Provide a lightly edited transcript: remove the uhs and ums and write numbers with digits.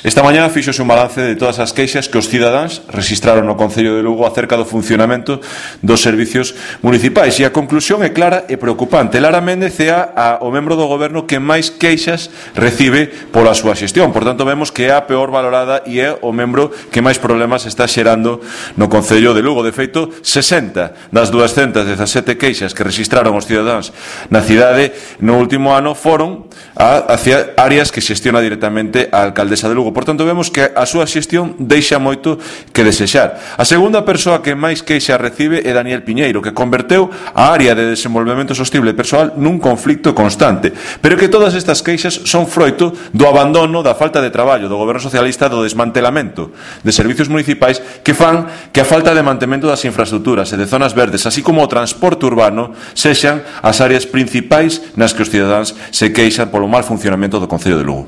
Esta mañá fíxose un balance de todas as queixas que os cidadáns rexistraron no Concello de Lugo acerca do funcionamento dos servicios municipais e a conclusión é clara e preocupante. Lara Méndez é o membro do goberno que máis queixas recibe pola súa xestión, por tanto vemos que é a peor valorada e é o membro que máis problemas está xerando no Concello de Lugo. De feito, 60 das 217 queixas que rexistraron os cidadáns na cidade no último ano foron hacia áreas que xestiona directamente a alcaldesa de Lugo. Por tanto, vemos que a súa xestión deixa moito que desexar. A segunda persoa que máis queixa recibe é Daniel Piñeiro, que converteu a área de desenvolvemento sostible persoal nun conflicto constante. Pero que todas estas queixas son froito do abandono, da falta de traballo do goberno socialista, do desmantelamento de servicios municipais que fan que a falta de mantemento das infraestructuras e de zonas verdes, así como o transporte urbano, sexan as áreas principais nas que os cidadáns se queixan polo mal funcionamento do Concello de Lugo.